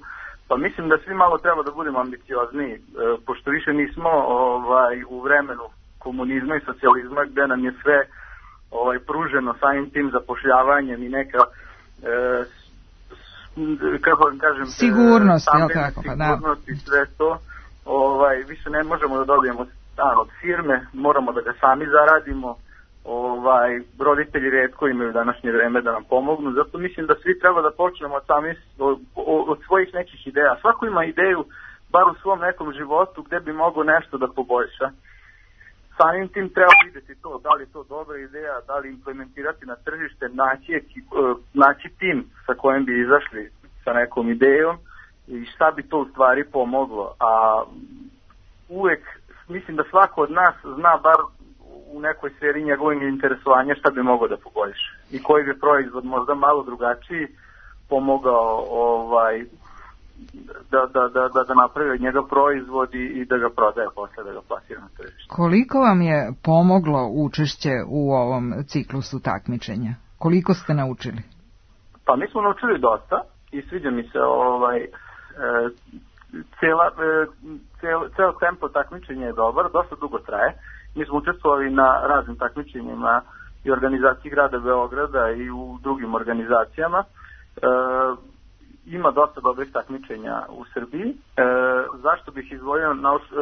Pa mislim da svi malo treba da budemo ambiciozniji, e, pošto više nismo ovaj, u vremenu komunizma i socijalizma gde nam je sve ovaj, pruženo samim tim zapošljavanjem i neka, e, s, kako vam kažem, sigurnost, jel tako? Pa, sigurnost da. I sve to. Ovaj, više ne možemo da dobijemo stan od firme, moramo da ga sami zaradimo. Ovaj, roditelji retko imaju današnje vreme da nam pomognu, zato mislim da svi treba da počnemo od, sami, od, od svojih nekih ideja. Svako ima ideju, bar u svom nekom životu, gde bi mogao nešto da poboljša. Samim tim treba vidjeti to, da li je to dobra ideja, da li implementirati na tržište, naći, naći tim sa kojim bi izašli sa nekom idejom i šta bi to u stvari pomoglo. A uvek mislim da svako od nas zna bar u nekoj sferi njegovog interesovanja šta bi mogao da poboljša i koji bi proizvod možda malo drugačiji pomogao ovaj, da, da, da, da, da napravi od njega proizvod i, i da ga prodaje posle, da ga plasira na tržište. Koliko vam je pomoglo učešće u ovom ciklusu takmičenja? Koliko ste naučili? Pa mi smo naučili dosta i sviđa mi se ovaj, e, cela, e, cel, cel tempo takmičenja je dobar, dosta dugo traje. Mi smo učestvovali na raznim takmičenjima i organizaciji grada Beograda i u drugim organizacijama. E, ima dosta dobrih takmičenja u Srbiji. E, zašto bih izdvojio nauč, e,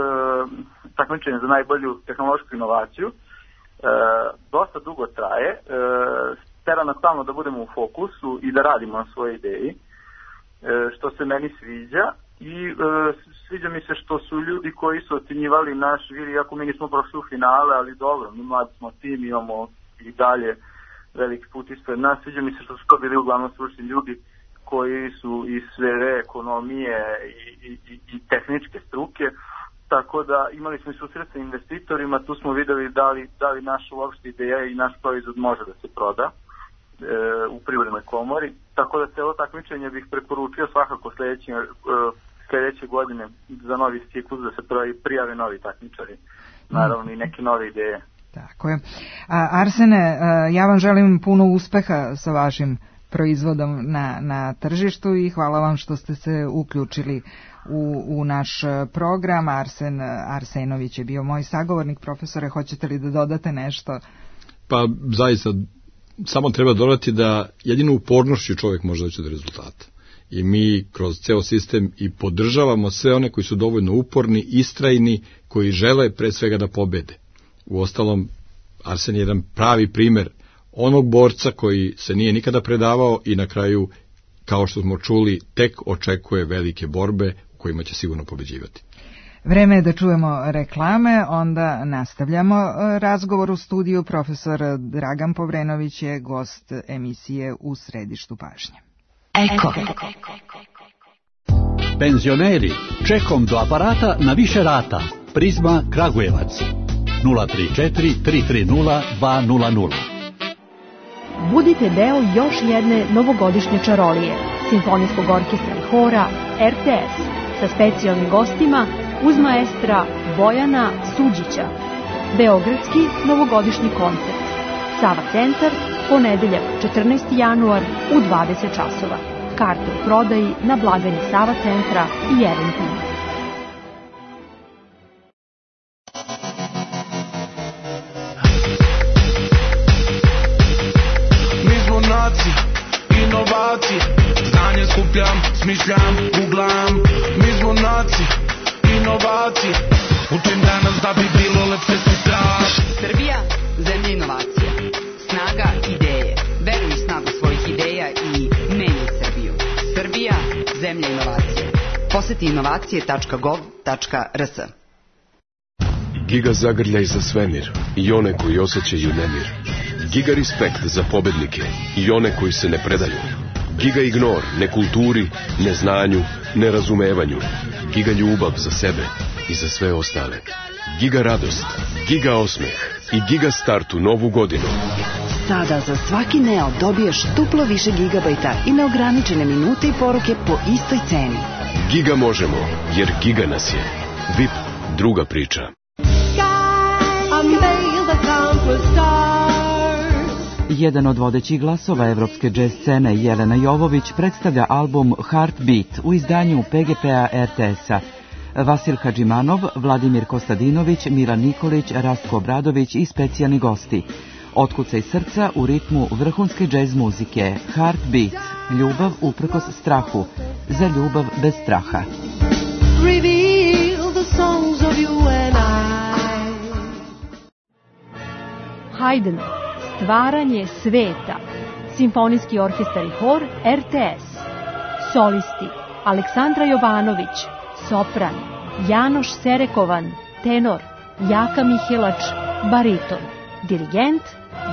takmičenje za najbolju tehnološku inovaciju? E, dosta dugo traje. E, tera nas stalno da budemo u fokusu i da radimo na svojoj ideji, e, što se meni sviđa. I e, sviđa mi se što su ljudi koji su ocjenjivali naš vir, iako mi nismo prošli u finale, ali dobro, mi mladi smo tim, imamo i dalje veliki put ispred nas. Sviđa mi se što su to bili uglavnom stručni ljudi koji su iz sfere ekonomije i, i, i tehničke struke, tako da imali smo i susret sa investitorima, tu smo videli da li, da li naša uopšte ideja i naš proizvod može da se proda e, u Privrednoj komori, tako da celo takmičenje bih preporučio svakako sledeće, e, sledeće godine za novi ciklus da se prijave novi takmičari, naravno i neke nove ideje. Tako je. A, Arsene, ja vam želim puno uspeha sa vašim proizvodom na, na tržištu i hvala vam što ste se uključili u, u naš program. Arsen Arsenović je bio moj sagovornik. Profesore, hoćete li da dodate nešto? Pa zaista, samo treba dodati da jedino upornošću čovjek može doći do rezultata. I mi kroz ceo sistem i podržavamo sve one koji su dovoljno uporni, istrajni, koji žele pre svega da pobede. Uostalom, Arsen je jedan pravi primer onog borca koji se nije nikada predavao i na kraju, kao što smo čuli, tek očekuje velike borbe u kojima će sigurno pobeđivati. Vreme je da čujemo reklame, onda nastavljamo razgovor u studiju. Profesor Dragan Povrenović je gost emisije U središtu pažnje. Eko. Penzioneri, čekom do aparata na više rata. Prizma Kragujevac. nula tri četiri tri tri nula dva nula nula. Budite deo još jedne novogodišnje čarolije, simfonijskog orkestra i hora R T S sa specijalnim gostima uz maestra Bojana Suđića. Beogradski novogodišnji koncert. Sava centar, Ponedeljak, četrnaesti januar u dvadeset časova. Karte u prodaji na blagajni Sava centra i Eventim. Mi smo nacija, inovacije, znanje skupljam, smišljam, googlam. Mi smo nacija, inovacije, učim danas da bi bilo lepše sutra. Srbija, zemlja inovacija, snaga ideje. Veruj u snagu svojih ideja i menjaj Srbiju. Srbija, zemlja inovacije. Poseti inovacije tačka gov tačka r s. Giga zagrljaj za svemir i one koji osjećaju nemir. Giga respekt za pobednike i one koji se ne predaju. Giga ignor nekulturi, neznanju, nerazumevanju. Giga ljubav za sebe i za sve ostale. Giga radost, giga osmeh i giga start u novu godinu. Sada za svaki Neo dobiješ duplo više gigabajta i neograničene minute i poruke po istoj ceni. Giga možemo, jer giga nas je. V I P, druga priča. Jedan od vodećih glasova evropske džez scene, Jelena Jovović, predstavlja album Heartbeat u izdanju P G P-a R T S-a. Vasil Hadžimanov, Vladimir Kostadinović, Milan Nikolić, Rastko Obradović i specijalni gosti. Otkucaj srca u ritmu vrhunske džez muzike. Heartbeat, ljubav uprkos strahu, za ljubav bez straha. Reveal the songs of you and I. Haydn, stvaranje sveta. Simfonijski orkestar i hor R T S. Solisti, Aleksandra Jovanović, sopran, Janoš Serekovan, tenor, Jaka Mihelač, bariton, dirigent,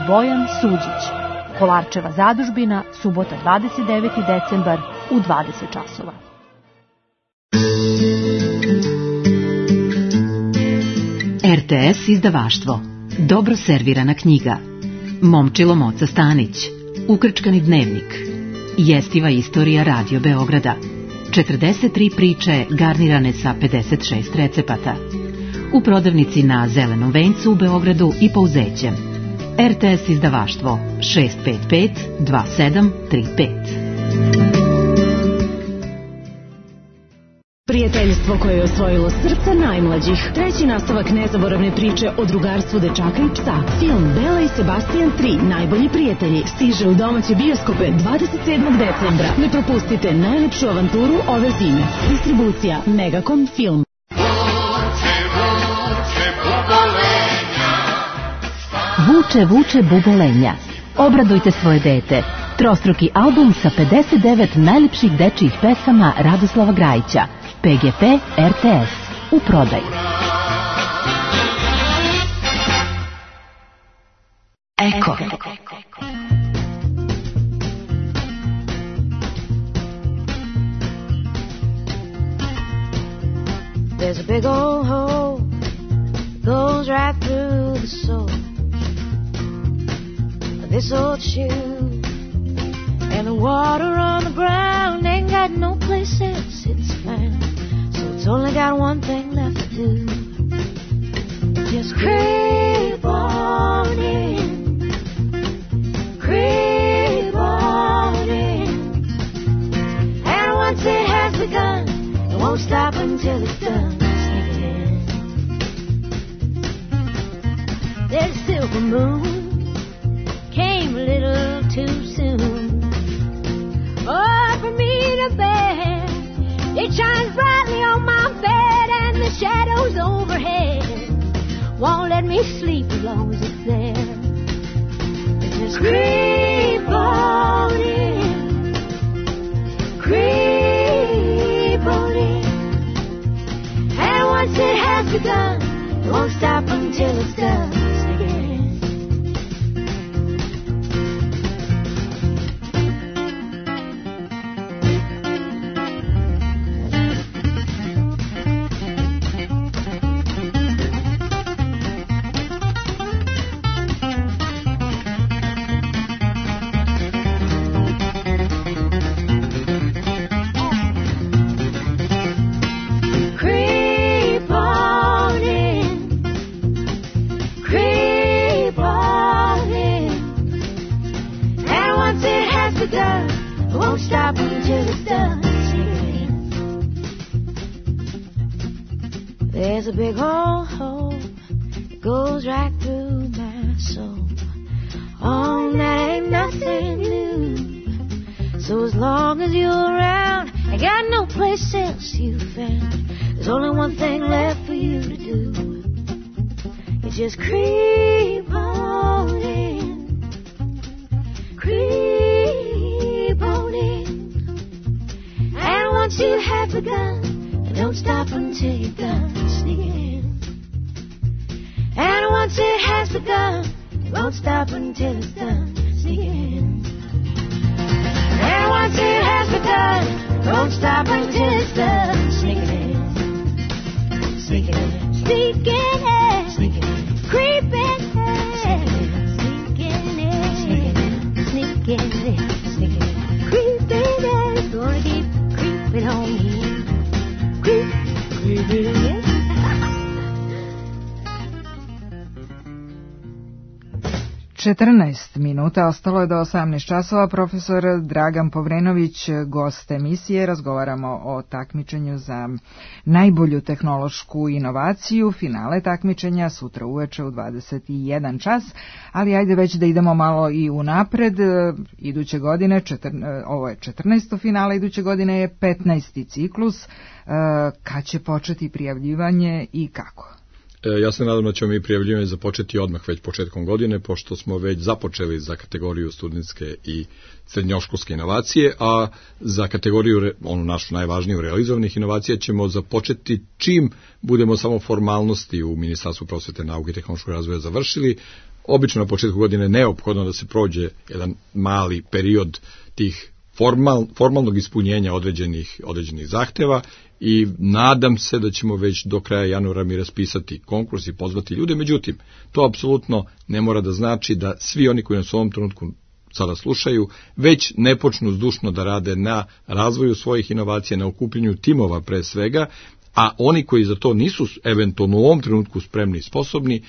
Bojan Suđić. Kolarčeva zadužbina, subota dvadeset deveti decembar u dvadeset časova. R T S izdavaštvo. Dobro servirana knjiga. Momčilo Moca Stanić. Ukrčkani dnevnik. Jestiva istorija Radio Beograda. četrdeset tri priče garnirane sa pedeset šest recepata. U prodavnici na Zelenom vencu u Beogradu i Pouzećem. R T S izdavaštvo šest pet pet dva sedam tri pet. Prijateljstvo koje je osvojilo srca najmlađih. Treći nastavak nezaboravne priče o drugarstvu dečaka i psa. Film Bela i Sebastian tri, najbolji prijatelji, stiže u domaće bioskope dvadeset sedmog decembra. Ne propustite najlepšu avanturu ove zime. Distribucija Megacom Film. Vuče, vuče bubolenja. Obradujte svoje dete. Trostruki album sa pedeset devet najlepših dečijih pesama Radoslava Grajića. P G P R T S. U prodaju. Eko. There's a big old hole goes right through the soul of this old shoe, and the water on the ground ain't got no place else it's found, so it's only got one thing left to do. Just creep on in, creep on in, and once it has begun, it won't stop until it's done. There's a silver moon, came a little too soon. Oh, for me to bear, it shines brightly on my bed, and the shadows overhead won't let me sleep as long as it's there. It's just creep on in, creep on in, and once it has begun, it won't stop until it's done. won't stop until it's done. Sneaking in. There's a big old hole that goes right through my soul. Oh, that ain't nothing new. So as long as you're around, I got no place else you found. There's only one thing left for you to do. You just creep on in, creep on in. And once you have begun, don't stop until you're done sneaking in. And once it has begun, it won't stop until it's done sneaking in. And once it has begun, don't stop until it's done. Sneaking in, sneaking in, sneaking in, sneaking in, creeping in, sneaking in, sneaking in, sneaking in, sneaking in, creeping in. Gonna keep creeping on in, creep, creeping in. četrnaest minuta ostalo je do osamnaest časova. Profesor Dragan Povrenović, gost emisije. Razgovaramo o takmičenju za najbolju tehnološku inovaciju. Finale takmičenja sutra uveče u dvadeset jedan čas, ali ajde već da idemo malo i unapred. Iduće godine, četir, ovo je četrnaesto finale, iduće godine je petnaesti ciklus. Kad će početi prijavljivanje i kako? Ja se nadam da ćemo mi prijavljivanje započeti odmah već početkom godine, pošto smo već započeli za kategoriju studentske i srednjoškolske inovacije, a za kategoriju, onu našu najvažniju, realizovanih inovacija ćemo započeti čim budemo samo formalnosti u Ministarstvu prosvete, nauke i tehnološkog razvoja završili. Obično na početku godine neophodno da se prođe jedan mali period tih formal, formalnog ispunjenja određenih, određenih zahteva i nadam se da ćemo već do kraja januara mi raspisati konkurs i pozvati ljude. Međutim, to apsolutno ne mora da znači da svi oni koji nas u ovom trenutku sada slušaju već ne počnu zdušno da rade na razvoju svojih inovacija, na okupljanju timova pre svega, a oni koji za to nisu eventualno u ovom trenutku spremni i sposobni,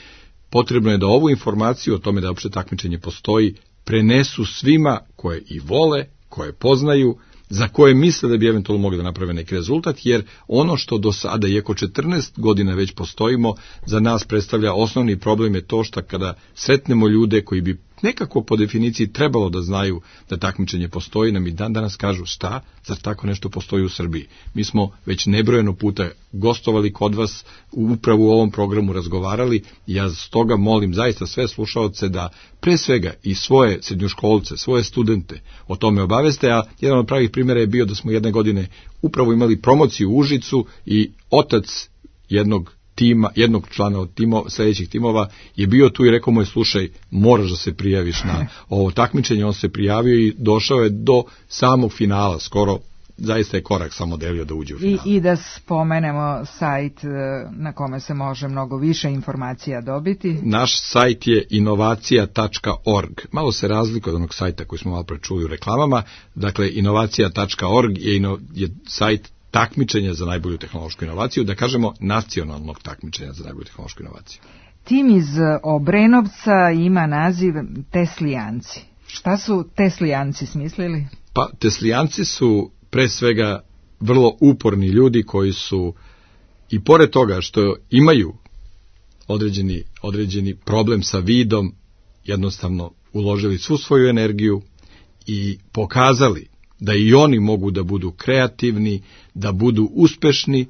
potrebno je da ovu informaciju o tome da uopšte takmičenje postoji prenesu svima koje i vole, koje poznaju, za koje misle da bi eventualno mogli da naprave neki rezultat, jer ono što do sada, iako četrnaest godina već postojimo, za nas predstavlja osnovni problem je to što kada sretnemo ljude koji bi nekako po definiciji trebalo da znaju da takmičenje postoji, nam i dan danas kažu šta, zar tako nešto postoji u Srbiji. Mi smo već nebrojeno puta gostovali kod vas, upravo u ovom programu razgovarali i ja stoga molim zaista sve slušaoce da pre svega i svoje srednjoškolce, svoje studente o tome obaveste, a jedan od pravih primjera je bio da smo jedne godine upravo imali promociju u Užicu i otac jednog tima, jednog člana od timo, sledećih timova je bio tu i rekao mu je, slušaj, moraš da se prijaviš na ovo takmičenje. On se prijavio i došao je do samog finala, skoro zaista je korak samo delio da uđe u final. I, I da spomenemo sajt na kome se može mnogo više informacija dobiti. Naš sajt je inovacija tačka org. Malo se razlikuje od onog sajta koji smo malo pre čuli u reklamama. Dakle, inovacija tačka org je, ino, je sajt takmičenja za najbolju tehnološku inovaciju, da kažemo nacionalnog takmičenja za najbolju tehnološku inovaciju. Tim iz Obrenovca ima naziv Teslijanci. Šta su Teslijanci smislili? Pa, Teslijanci su pre svega vrlo uporni ljudi koji su i pored toga što imaju određeni, određeni problem sa vidom, jednostavno uložili svu svoju energiju i pokazali da i oni mogu da budu kreativni, da budu uspešni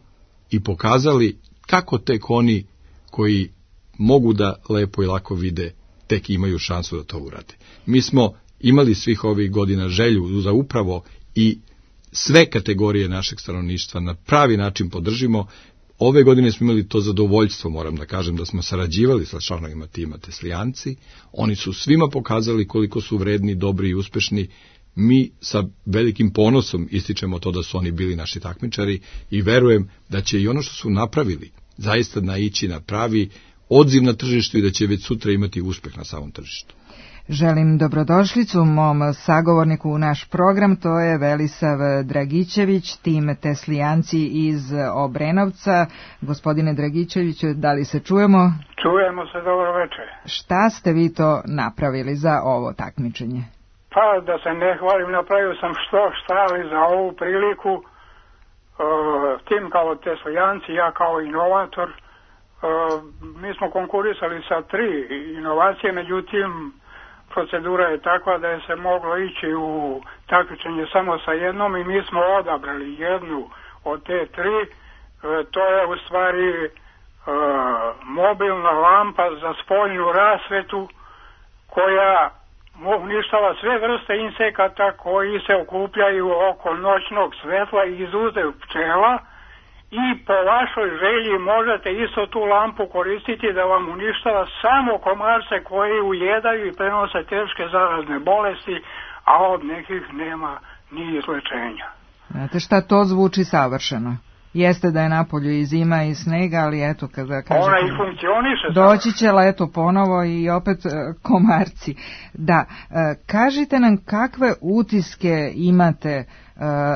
i pokazali kako tek oni koji mogu da lepo i lako vide, tek imaju šansu da to urade. Mi smo imali svih ovih godina želju za upravo i sve kategorije našeg stanovništva na pravi način podržimo. Ove godine smo imali to zadovoljstvo, moram da kažem, da smo sarađivali sa članovima tima Teslijanci. Oni su svima pokazali koliko su vredni, dobri i uspešni. Mi sa velikim ponosom ističemo to da su oni bili naši takmičari i verujem da će i ono što su napravili zaista naići na pravi odziv na tržištu i da će već sutra imati uspeh na samom tržištu. Želim dobrodošlicu mom sagovorniku u naš program, to je Velisav Dragićević, tim Teslijanci iz Obrenovca. Gospodine Dragićeviću, da li se čujemo? Čujemo se, dobro večer. Šta ste vi to napravili za ovo takmičenje? Pa da se ne hvalim, napravio sam što šta, ali za ovu priliku uh, tim kao teslijanci, ja kao inovator, uh, mi smo konkurisali sa tri inovacije, međutim procedura je takva da je se moglo ići u takmičenje samo sa jednom i mi smo odabrali jednu od te tri. Uh, to je u stvari uh, mobilna lampa za spoljnu rasvetu koja uništava sve vrste insekata koji se okupljaju oko noćnog svetla i izuzev pčela i po vašoj želji možete isto tu lampu koristiti da vam uništava samo komarce koji ujedaju i prenose teške zarazne bolesti, a od nekih nema ni izlečenja. Znate šta, to zvuči savršeno. Jeste da je napolju i zima i snega, ali eto kada kažete... Ona i funkcioniše. Doći će leto ponovo i opet komarci. Da, kažite nam kakve utiske imate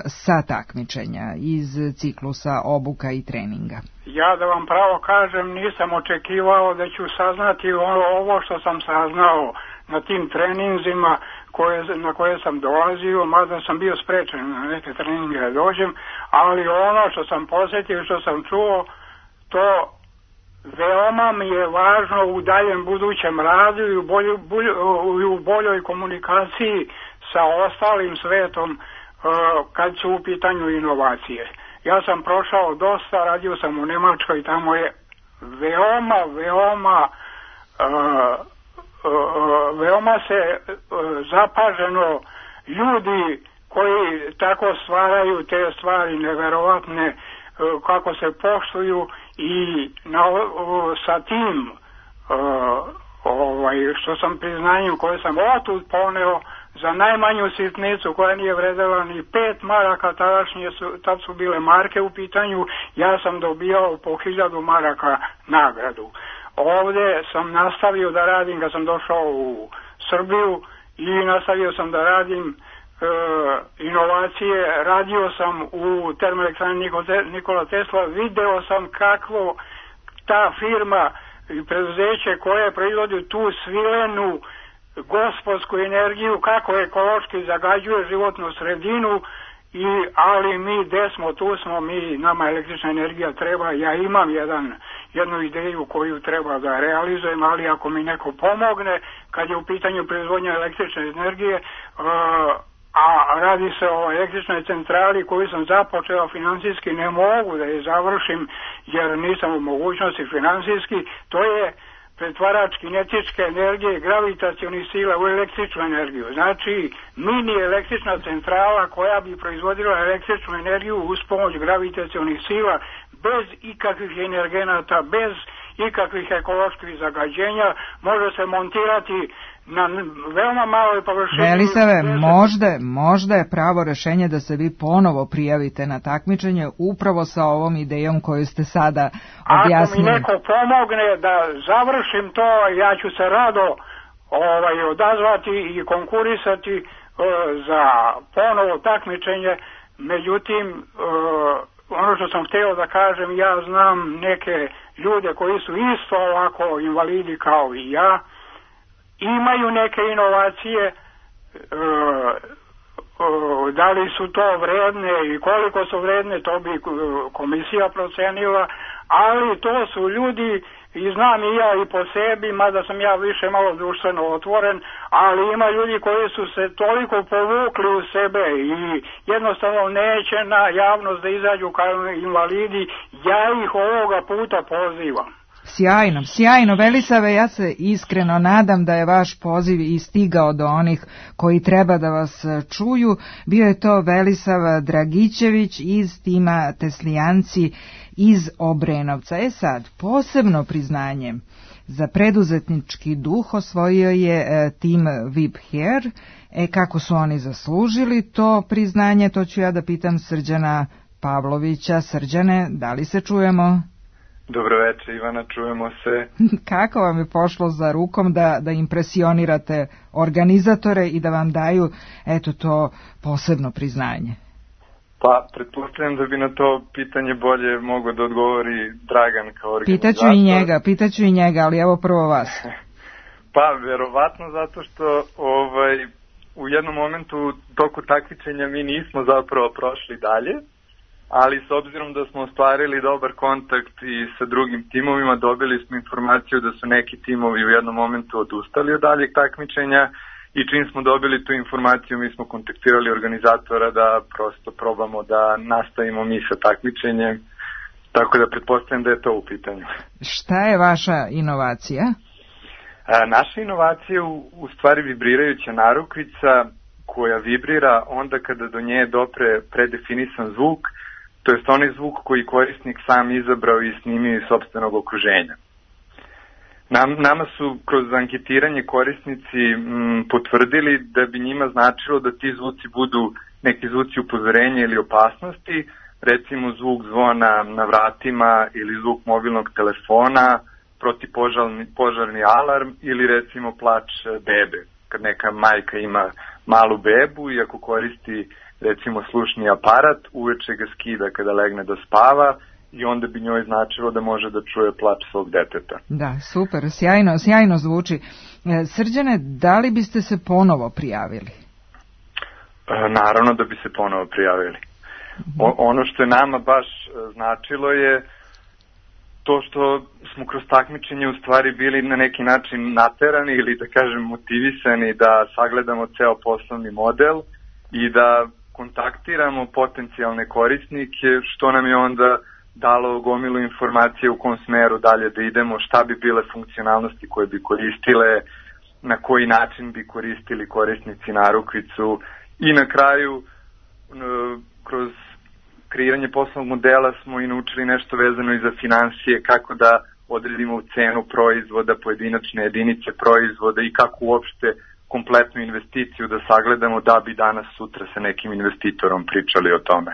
sa takmičenja iz ciklusa obuka i treninga? Ja da vam pravo kažem, nisam očekivao da ću saznati ovo što sam saznao na tim treninzima koje, na koje sam dolazio, mada sam bio sprečen na neke treninge da dođem, ali ono što sam posjetio, što sam čuo, to veoma mi je važno u daljem budućem radu i u, bolju, bolju, u boljoj komunikaciji sa ostalim svetom uh, kad su u pitanju inovacije. Ja sam prošao dosta, radio sam u Nemačkoj, tamo je veoma, veoma uh, uh, veoma se uh, zapaženo ljudi koji tako stvaraju te stvari neverovatne, uh, kako se poštuju i na, uh, sa tim uh, ovaj, što sam priznanjem koje sam otud poneo za najmanju sitnicu koja nije vredela ni pet maraka, tadašnje su, tad su bile marke u pitanju, ja sam dobijao po hiljadu maraka nagradu. Ovdje sam nastavio da radim kad sam došao u Srbiju i nastavio sam da radim e, inovacije, radio sam u termoelektrani Nikola Tesla, video sam kakvo ta firma i preduzeće koje proizvodi tu svilenu gospodsku energiju, kako ekološki zagađuje životnu sredinu, i, ali mi gde smo, tu smo, mi, nama električna energija treba, ja imam jedan, jednu ideju koju treba da realizujem, ali ako mi neko pomogne, kad je u pitanju proizvodnja električne energije, uh, a radi se o električnoj centrali koju sam započeo finansijski, ne mogu da je završim jer nisam u mogućnosti finansijski, to je pretvarač kinetičke energije i gravitacionih sila u električnu energiju. Znači, mini električna centrala koja bi proizvodila električnu energiju uz pomoć gravitacionih sila, bez ikakvih energenata, bez ikakvih ekoloških zagađenja, može se montirati na veoma maloj površini. Velisave, možda, možda je pravo rešenje da se vi ponovo prijavite na takmičenje upravo sa ovom idejom koju ste sada objasnili. Ako mi neko pomogne da završim to, ja ću se rado ovaj, odazvati i konkurisati uh, za ponovo takmičenje. Međutim, uh, ono što sam htio da kažem, ja znam neke ljude koji su isto ovako invalidi kao i ja, imaju neke inovacije, e, e, da li su to vredne i koliko su vredne, to bi komisija procenila, ali to su ljudi, i znam i ja i po sebi, mada sam ja više malo društveno otvoren, ali ima ljudi koji su se toliko povukli u sebe i jednostavno neće na javnost da izađu kao invalidi, ja ih ovoga puta pozivam. Sjajno, sjajno, Velisave, ja se iskreno nadam da je vaš poziv i stigao do onih koji treba da vas čuju. Bio je to Velisav Dragićević iz tima Teslijanci iz Obrenovca. E sad, posebno priznanje za preduzetnički duh osvojio je e, tim Vibher. E kako su oni zaslužili to priznanje, to ću ja da pitam Srđana Pavlovića. Srđane, da li se čujemo? Dobro večer, Ivana, čujemo se. Kako vam je pošlo za rukom da, da impresionirate organizatore i da vam daju, eto, to posebno priznanje? Pa, pretpostavljam da bi na to pitanje bolje mogao da odgovori Dragan kao organizator. Pitaću i njega, pitaću i njega, ali evo prvo vas. Pa, verovatno zato što ovaj, u jednom momentu toku takmičenja mi nismo zapravo prošli dalje, ali s obzirom da smo ostvarili dobar kontakt i sa drugim timovima, dobili smo informaciju da su neki timovi u jednom momentu odustali od daljeg takmičenja i čim smo dobili tu informaciju mi smo kontaktirali organizatora da prosto probamo da nastavimo mi sa takmičenjem, tako da pretpostavljam da je to u pitanju. Šta je vaša inovacija? A, naša inovacija je u, u stvari vibrirajuća narukvica koja vibrira onda kada do nje dopre predefinisan zvuk, to jest onaj zvuk koji korisnik sam izabrao i snimio iz sopstvenog okruženja. Nam, nama su kroz anketiranje korisnici m, potvrdili da bi njima značilo da ti zvuci budu neki zvuci upozorenja ili opasnosti, recimo zvuk zvona na vratima ili zvuk mobilnog telefona, protipožarni požarni alarm ili recimo plač bebe. Kad neka majka ima malu bebu i ako koristi recimo slušni aparat, uveče ga skida kada legne da spava i onda bi njoj značilo da može da čuje plač svog deteta. Da, super, sjajno, sjajno zvuči. Srđane, da li biste se ponovo prijavili? E, naravno da bi se ponovo prijavili. O, ono što je nama baš značilo je to što smo kroz takmičenje u stvari bili na neki način naterani ili da kažem motivisani da sagledamo ceo poslovni model i da kontaktiramo potencijalne korisnike, što nam je onda dalo gomilu informacije u kom smeru dalje da idemo, šta bi bile funkcionalnosti koje bi koristile, na koji način bi koristili korisnici narukvicu i na kraju kroz kreiranje poslovnog modela smo i naučili nešto vezano i za financije, kako da odredimo cenu proizvoda, pojedinačne jedinice proizvoda i kako uopšte kompletnu investiciju da sagledamo da bi danas sutra sa nekim investitorom pričali o tome.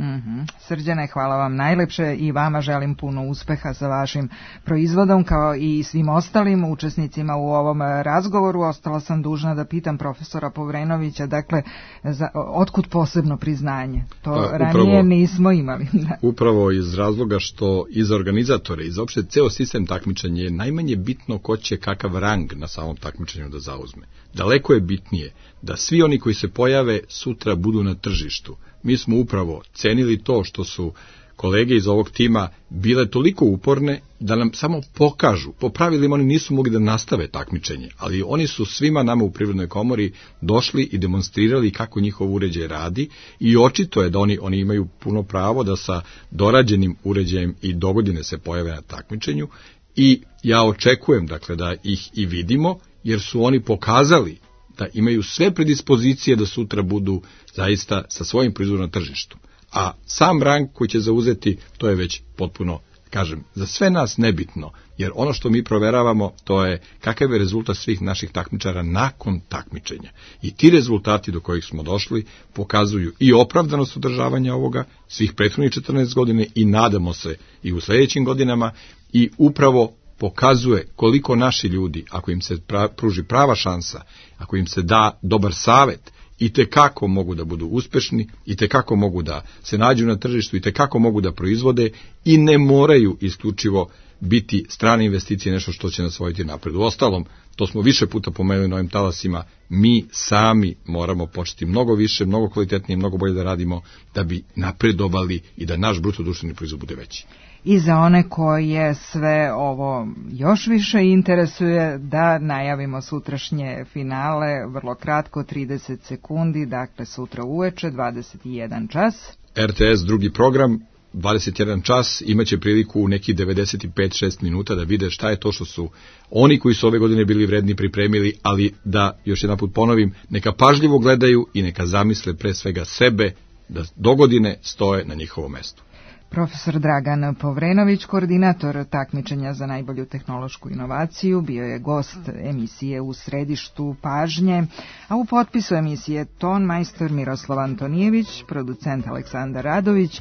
Mm-hmm. Srđane, hvala vam najlepše i vama želim puno uspeha sa vašim proizvodom kao i svim ostalim učesnicima u ovom razgovoru. Ostala sam dužna da pitam profesora Povrenovića, dakle, za, otkud posebno priznanje? To A, ranije upravo, nismo imali. Upravo iz razloga što i za organizatore i za opšte ceo sistem takmičenja je najmanje bitno ko će kakav rang na samom takmičenju da zauzme. Daleko je bitnije da svi oni koji se pojave sutra budu na tržištu. Mi smo upravo cenili to što su kolege iz ovog tima bile toliko uporne da nam samo pokažu. Po pravilima oni nisu mogli da nastave takmičenje, ali oni su svima nama u Privrednoj komori došli i demonstrirali kako njihov uređaj radi i očito je da oni, oni imaju puno pravo da sa dorađenim uređajem i dogodine se pojave na takmičenju i ja očekujem dakle da ih i vidimo jer su oni pokazali da imaju sve predispozicije da sutra budu zaista sa svojim proizvodom na tržištu. A sam rang koji će zauzeti, to je već potpuno, kažem, za sve nas nebitno, jer ono što mi proveravamo, to je kakav je rezultat svih naših takmičara nakon takmičenja. I ti rezultati do kojih smo došli pokazuju i opravdanost održavanja ovoga svih prethodnih četrnaest godina i nadamo se i u sljedećim godinama i upravo pokazuje koliko naši ljudi, ako im se pra, pruži prava šansa, ako im se da dobar savet, i te kako mogu da budu uspešni, i te kako mogu da se nađu na tržištu, i te kako mogu da proizvode i ne moraju isključivo biti strane investicije nešto što će nas voditi napred. U ostalom, to smo više puta pomenuli na ovim talasima, mi sami moramo početi mnogo više, mnogo kvalitetnije, mnogo bolje da radimo da bi napredovali i da naš bruto društveni proizvod bude veći. I za one koje sve ovo još više interesuje, da najavimo sutrašnje finale, vrlo kratko, trideset sekundi, dakle sutra uveče, dvadeset jedan čas. R T S drugi program, dvadeset jedan čas, imaće priliku u neki devedeset pet do šest minuta da vide šta je to što su oni koji su ove godine bili vredni pripremili, ali da, još jedan put ponovim, neka pažljivo gledaju i neka zamisle pre svega sebe da dogodine stoje na njihovom mestu. Profesor Dragan Povrenović, koordinator takmičenja za najbolju tehnološku inovaciju, bio je gost emisije U središtu pažnje, a u potpisu emisije ton majstor Miroslav Antonijević, producent Aleksandar Radović.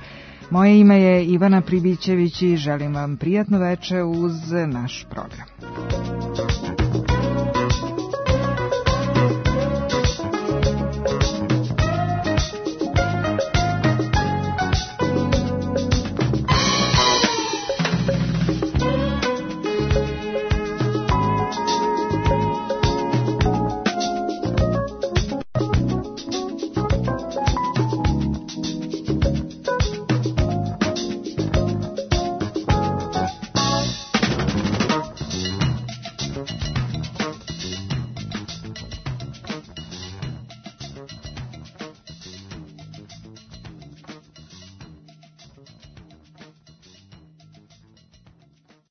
Moje ime je Ivana Pribićević i želim vam prijatno veče uz naš program.